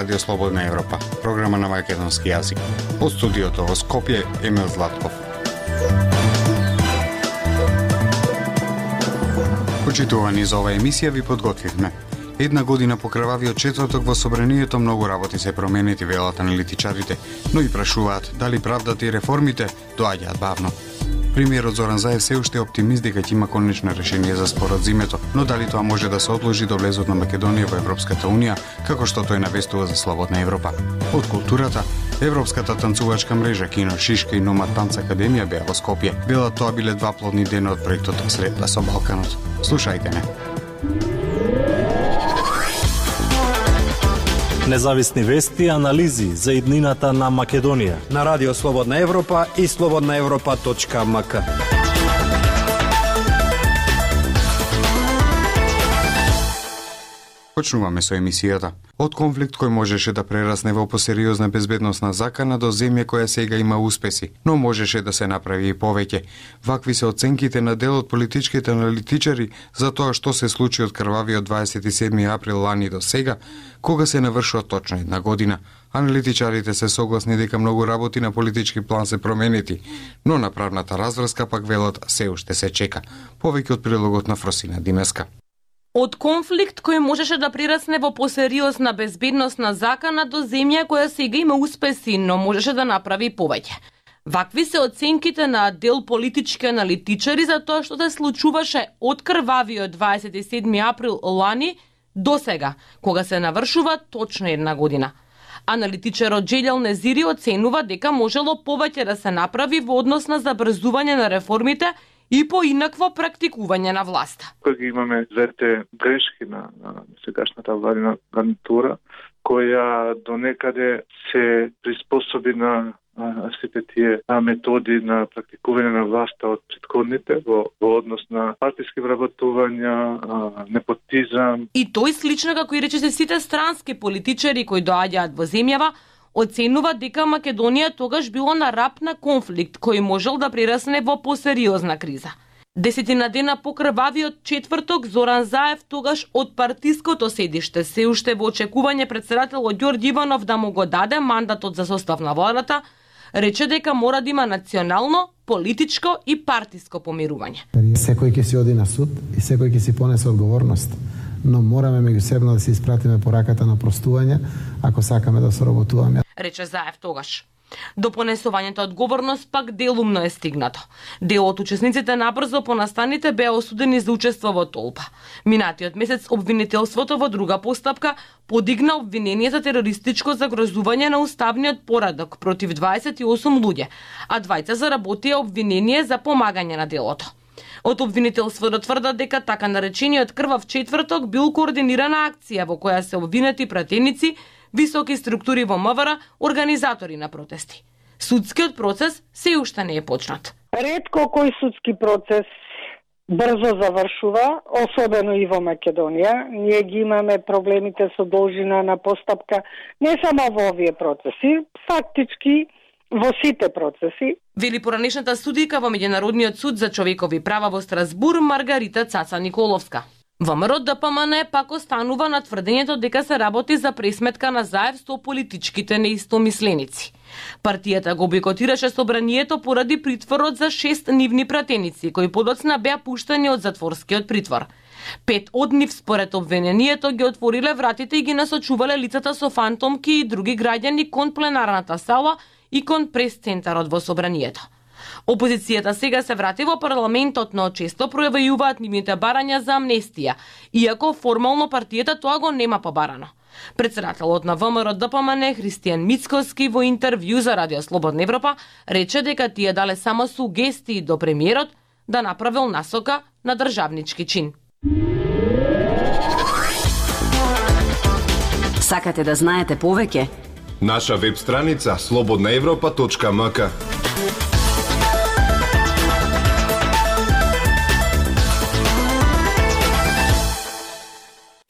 Радио Слободна Европа, програма на македонски јазик. Од студиото во Скопје, Емил Златков. Почитувани за оваа емисија ви подготвивме. Една година по крвавиот четврток во собранието многу работи се променети, велат аналитичарите, но и прашуваат дали правдата и реформите доаѓаат бавно. Премиерот Зоран Заев се уште е оптимист дека ќе има конечно решение за спорот зимето, но дали тоа може да се одложи до влезот на Македонија во Европската унија, како што тој навестува за Слободна Европа. Од културата, Европската танцувачка мрежа Кино Шишка и Номад Танц Академија беа во Скопје. Велат тоа биле два плодни дена од проектот Средба со Балканот. Слушајте не. Независни вести и анализи за иднината на Македонија на Радио Слободна Европа и slobodnaevropa.mk. Почнуваме со емисијата. Од конфликт кој можеше да прерасне во посериозна безбедносна закана до земја која сега има успеси, но можеше да се направи и повеќе. Вакви се оценките на дел од политичките аналитичари за тоа што се случи од крвавиот 27 април лани до сега, кога се навршува точно една година. Аналитичарите се согласни дека многу работи на политички план се променети, но на правната разврска пак велат се уште се чека. Повеќе од прилогот на Фросина Димеска. Од конфликт кој можеше да прирасне во посериозна безбедносна закана до земја која сега има успеси, но можеше да направи повеќе. Вакви се оценките на дел политички аналитичари за тоа што се случуваше од крвавиот 27 април лани до сега, кога се навршува точно една година. Аналитичарот Джелјал Незири оценува дека можело повеќе да се направи во однос на забрзување на реформите и поинакво практикување на власта. Кога имаме двете грешки на сегашната владина гарнитура, која до некаде се приспособи на сите тие методи на практикување на власта од претходните во однос на партиски вработувања, непотизам. И тој слично како и рече се сите странски политичари кои доаѓаат во земјава, оценува дека Македонија тогаш било на рап на конфликт кој можел да прерасне во посериозна криза. Десетина дена по крвавиот четврток Зоран Заев тогаш од партиското седиште се уште во очекување председателот Ѓорѓе Иванов да му го даде мандатот за состав на владата, рече дека мора да има национално, политичко и партиско помирување. Секој ќе си оди на суд и секој ќе си понесе одговорност, но мораме меѓусебно да се испратиме пораката на простување ако сакаме да соработуваме. Рече Заев тогаш. До понесувањето одговорност пак делумно е стигнато. Дел од учесниците набрзо по настаните беа осудени за учество во толпа. Минатиот месец обвинителството во друга постапка подигна обвинение за терористичко загрозување на уставниот поредок против 28 луѓе, а двајца заработија обвинение за помагање на делото. Од обвинителството тврдат дека така наречениот крвав четврток бил координирана акција во која се обвинети пратеници, високи структури во МВР, организатори на протести. Судскиот процес се уште не е почнат. Ретко кој судски процес брзо завршува, особено и во Македонија. Ние ги имаме проблемите со должина на постапка не само во овие процеси, фактички во сите процеси. Вели поранешната судика во Меѓународниот суд за човекови права во Страсбур Маргарита Цаца Николовска. ВМРО ДПМН пак останува на тврдењето дека се работи за пресметка на Заев со политичките неистомисленици. Партијата го бойкотираше собранието поради притворот за 6 нивни пратеници, кои подоцна беа пуштени од затворскиот притвор. 5 од нив според обвинението ги отвориле вратите и ги насочувале лицата со фантомки и други граѓани кон пленарната сала и кон прес-центарот во собранието. Опозицијата сега се врати во парламентот, но често пројавуваат нивните барања за амнестија, иако формално партијата тоа го нема побарано. Председателот на ВМРО ДПМН Христијан Мицкоски во интервју за Радио Слободна Европа рече дека тие дале само сугестии до премиерот да направил насока на државнички чин. Сакате да знаете повеќе? Наша веб страница slobodnaevropa.mk.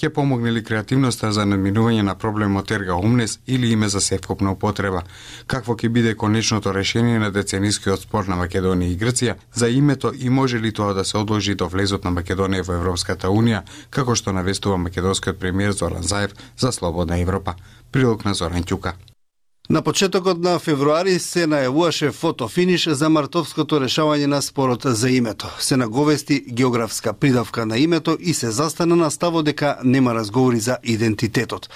Ќе помогне ли креативноста за надминување на проблемот ерга омнес или име за севкупна употреба? Какво ќе биде конечното решение на деценискиот спор на Македонија и Грција за името и може ли тоа да се одложи до влезот на Македонија во Европската унија, како што навестува македонскиот премиер Зоран Заев за Слободна Европа? Прилог на Зоран Ќука. На почетокот на февруари се најавуваше фотофиниш за мартовското решавање на спорот за името. Се наговести географска придавка на името и се застана на ставот дека нема разговори за идентитетот.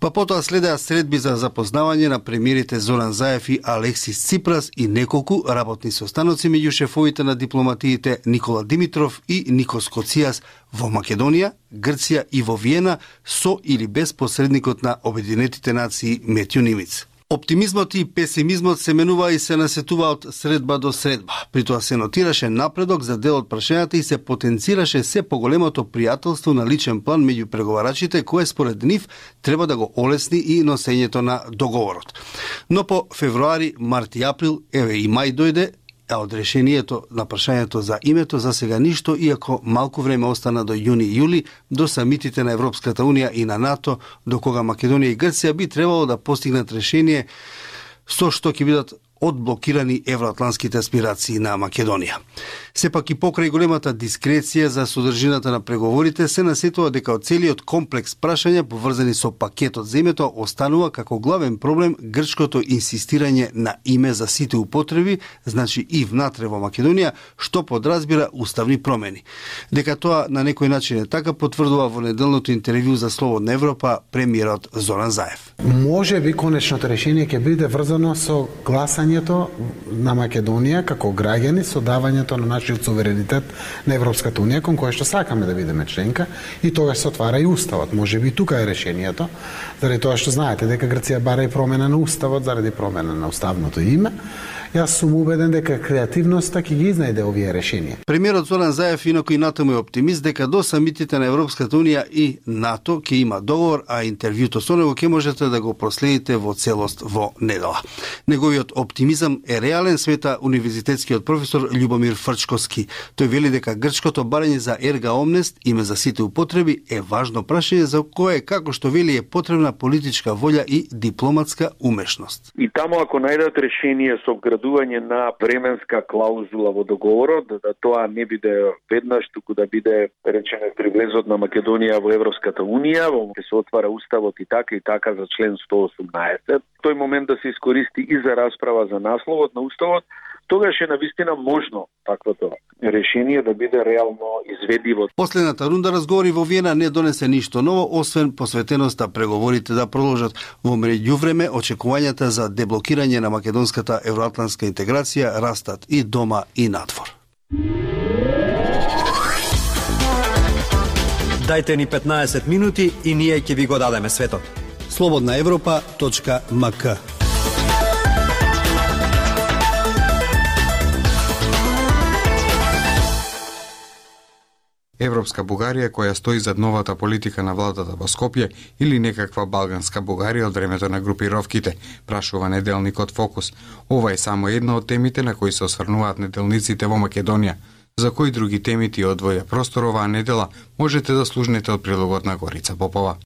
Па потоа следеа средби за запознавање на премиерите Зоран Заев и Алексис Ципрас и неколку работни состаноци меѓу шефовите на дипломатиите Никола Димитров и Никос Коцијас во Македонија, Грција и во Виена со или без посредникот на Обединетите нации Метју Нимиц. Оптимизмот и песимизмот се менува и се насетува од средба до средба. При тоа се нотираше напредок за дел од прашањата и се потенцираше се поголемото пријателство на личен план меѓу преговарачите, кое според нив треба да го олесни и носењето на договорот. Но по февруари, март и април, еве и мај дојде, а од решението на прашањето за името за сега ништо, иако малку време остана до јуни и јули, до самитите на Европската Унија и на НАТО, до кога Македонија и Грција би требало да постигнат решение со што ќе бидат одблокирани евроатлантските аспирации на Македонија. Сепак и покрај големата дискреција за содржината на преговорите се насетува дека од целиот комплекс прашања поврзани со пакетот за името останува како главен проблем грчкото инсистирање на име за сите употреби, значи и внатре во Македонија, што подразбира уставни промени. Дека тоа на некој начин е така потврдува во неделното интервју за Слободна Европа премиерот Зоран Заев. Може би конечното решение ќе биде врзано со гласањето на Македонија како граѓани со давањето на нашиот суверенитет на Европската Унија, кон која што сакаме да бидеме членка, и тогаш се отвара и уставот. Може би тука е решението, заради тоа што знаете дека Грција бара и промена на уставот заради промена на уставното име. Јас сум убеден дека креативноста ќе ги изнајде овие решенија. Премиерот Зоран Заев инаку и натаму е оптимист дека до самитите на Европската Унија и НАТО ќе има договор, а интервјуто со него ќе можете да го проследите во целост во недела. Неговиот оптимизам е реален, смета универзитетскиот професор Љубомир Фрчковски. Тој вели дека грчкото барање за ерга омнест, име за сите употреби, е важно прашање за кое, како што вели, е потребна политичка волја и дипломатска умешност. И таму ако најдат решение со вградување на временска клаузула во договорот, да тоа не биде веднаш, туку да биде, речеме, при влезот на Македонија во Европската Унија, во ќе се отвара уставот и така за член 118. Тој момент да се искористи и за расправа за насловот на уставот, тогаш е навистина можно таквото решение да биде реално изведиво. Последната рунда разговори во Виена не донесе ништо ново, освен посветеноста преговорите да продолжат. Во меѓувреме, очекувањата за деблокирање на македонската евроатлантска интеграција растат и дома и надвор. Дајте ни 15 минути и ние ќе ви го дадеме светот. slobodnaevropa.mk. Европска Бугарија која стои зад новата политика на владата во Скопје или некаква балганска Бугарија од времето на групировките, прашува неделникот Фокус. Ова е само една од темите на кои се осврнуваат неделниците во Македонија. За кои други теми ти одвоја простор оваа недела можете да слушнете од прилогот на Горица Попова.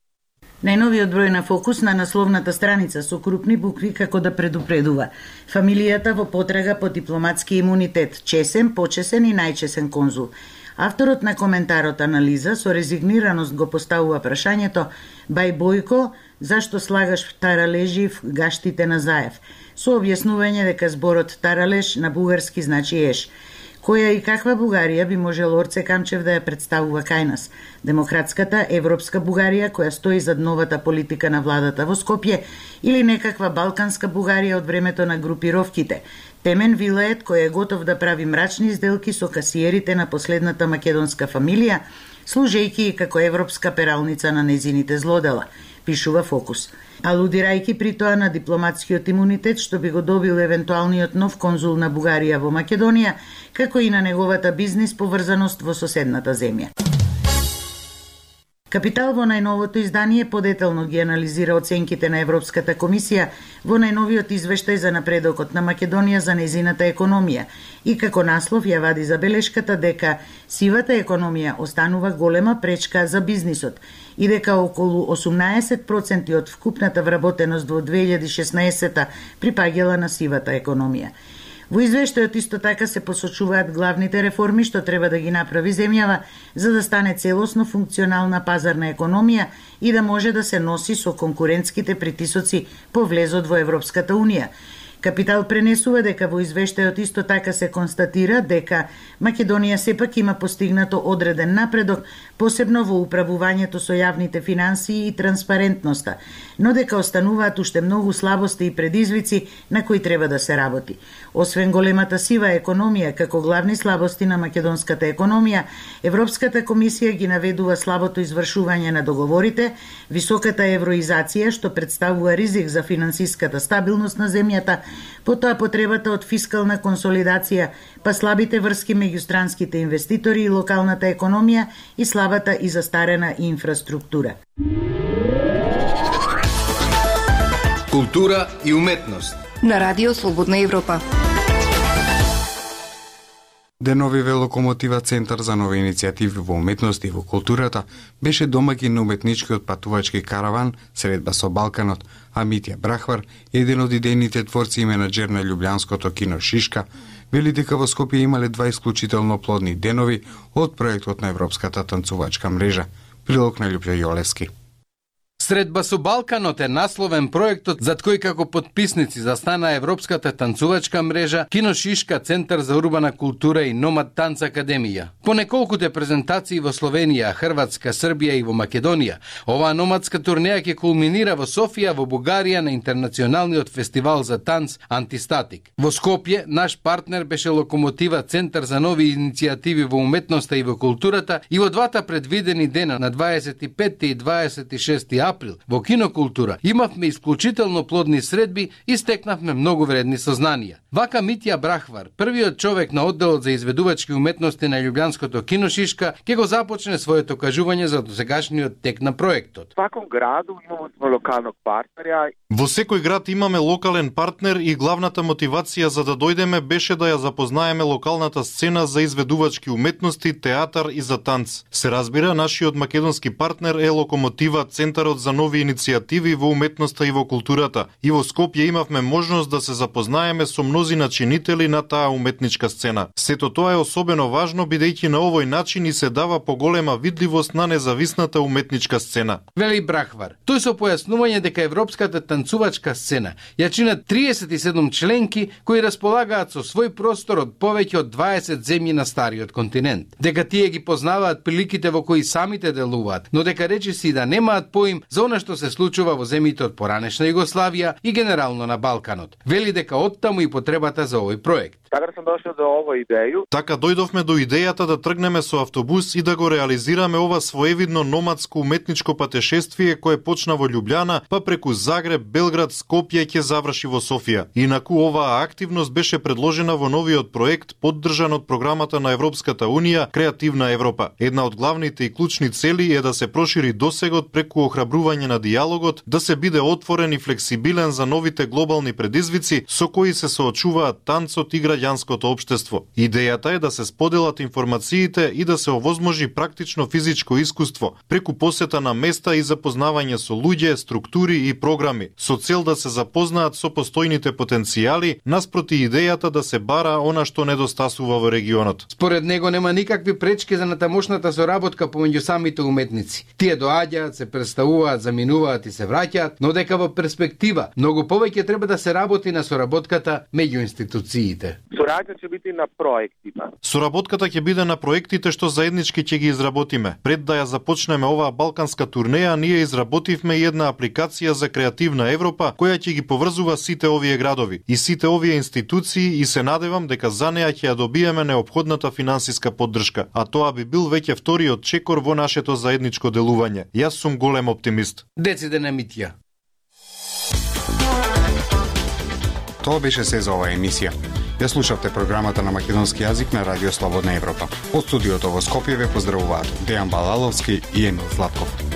Најновиот број на Фокус на насловната страница со крупни букви како да предупредува. Фамилијата во потрага по дипломатски имунитет, чесен, почесен и најчесен конзул. Авторот на коментарот анализа со резигнираност го поставува прашањето: Бај Бојко, зашто слагаш таралежи в гаштите на Заев? Со објаснување дека зборот таралеж на бугарски значи еш. Која и каква Бугарија би можел Орце Камчев да ја представува кај нас? Демократската европска Бугарија која стои зад новата политика на владата во Скопје или некаква балканска Бугарија од времето на групировките? Темен Вилает кој е готов да прави мрачни сделки со касиерите на последната македонска фамилија, служејќи како европска пералница на незините злодела, пишува Фокус. Алудирајќи при тоа на дипломатскиот имунитет што би го добил евентуалниот нов конзул на Бугарија во Македонија, како и на неговата бизнис поврзаност во соседната земја. Капитал во најновото издание подетелно ги анализира оценките на Европската комисија во најновиот извештај за напредокот на Македонија за незината економија и како наслов ја вади забелешката дека сивата економија останува голема пречка за бизнисот и дека околу 18% од вкупната вработеност во 2016 припаѓала на сивата економија. Во извештајот исто така се посочуваат главните реформи што треба да ги направи земјава за да стане целосно функционална пазарна економија и да може да се носи со конкурентските притисоци по влезот во Европската Унија. Капитал пренесува дека во извештајот исто така се констатира дека Македонија сепак има постигнато одреден напредок, посебно во управувањето со јавните финансии и транспарентноста, но дека остануваат уште многу слабости и предизвици на кои треба да се работи. Освен големата сива економија како главни слабости на македонската економија, Европската комисија ги наведува слабото извршување на договорите, високата евроизација што представува ризик за финансиската стабилност на земјата, потоа потребата од фискална консолидација, па слабите врски меѓу странските инвеститори и локалната економија и слабата и застарена инфраструктура. Култура и уметност на Радио Слободна Европа. Деновиве Локомотива Центар за нови иницијативи во уметност и во културата беше домаќин на уметничкиот патувачки караван Средба со Балканот, а Митја Брахвар, еден од идејните творци и менаџер на љубљанското кино Шишка, вели дека во Скопје имале 2 исклучително плодни денови од проектот на Европската танцувачка мрежа. Прилог на Љупјо Јолевски. Средба со Балканот е насловен проектот зад кој како потписници застана Европската танцувачка мрежа, Кино Шишка, Центар за урбана култура и Номад Танц Академија. По неколкуте презентации во Словенија, Хрватска, Србија и во Македонија, оваа номадска турнеја ќе кулминира во Софија, во Бугарија на интернационалниот фестивал за танц Антистатик. Во Скопје наш партнер беше Локомотива Центар за нови иницијативи во уметноста и во културата и во двата предвидени дена на 25 и 26 април во кинокултура имавме исклучително плодни средби и стекнавме многу вредни сознанија. Вака Митја Брахвар, првиот човек на одделот за изведувачки уметности на љубљанското кино Шишка, ќе го започне своето кажување за досегашниот тек на проектот. Сваком граду имаме локалnog партнера. Во секој град имаме локален партнер и главната мотивација за да дојдеме беше да ја запознаеме локалната сцена за изведувачки уметности, театар и за танц. Се разбира, нашиот македонски партнер е Локомотива Центарот за нови иницијативи во уметноста и во културата. И во Скопје имавме можност да се запознаеме со мнози начинители на таа уметничка сцена. Сето тоа е особено важно бидејќи на овој начин и се дава поголема видливост на независната уметничка сцена. Вели Брахвар. Тој со појаснување дека европската танцувачка сцена ја чинат 37 членки кои располагаат со свој простор од повеќе од 20 земји на стариот континент. Дека тие ги познаваат приликите во кои самите делуваат, но дека речиси да немаат поим за она што се случува во земјите од поранешна Југославија и генерално на Балканот. Вели дека оттаму и потребата за овој проект. Така сум дошол до оваа идеја. Така дојдовме до идејата да тргнеме со автобус и да го реализираме ова своевидно номадско уметничко патешествие кое почна во Љубљана, па преку Загреб, Белград, Скопје ќе заврши во Софија. Инаку оваа активност беше предложена во новиот проект поддржан од програмата на Европската Унија Креативна Европа. Една од главните и клучни цели е да се прошири досегот преку охрабрување на дијалогот, да се биде отворен и флексибилен за новите глобални предизвици со кои се соочуваат танцот и граѓанското општество. Идејата е да се споделат информациите и да се овозможи практично физичко искуство преку посета на места и запознавање со луѓе, структури и програми, со цел да се запознаат со постојните потенцијали наспроти идејата да се бара она што недостасува во регионот. Според него нема никакви пречки за натамошната соработка помеѓу самите уметници. Тие доаѓаат, се представуваат, заминуваат и се враќаат, но дека во перспектива многу повеќе треба да се работи на соработката меѓу институциите. Соработката ќе биде на проектите. Соработката ќе биде на проектите што заеднички ќе ги изработиме. Пред да ја започнеме оваа балканска турнеја, ние изработивме една апликација за Креативна Европа која ќе ги поврзува сите овие градови и сите овие институции и се надевам дека за неа ќе ја добиеме неопходната финансиска поддршка, а тоа би бил веќе вториот чекор во нашето заедничко делување. Јас сум голем оптимист. Деците на Митја. Тоа беше се за оваа емисија. Ја слушавте програмата на македонски јазик на Радио Слободна Европа. Од студиото во Скопје ве поздравуваат Дејан Балаловски и Емил Златков.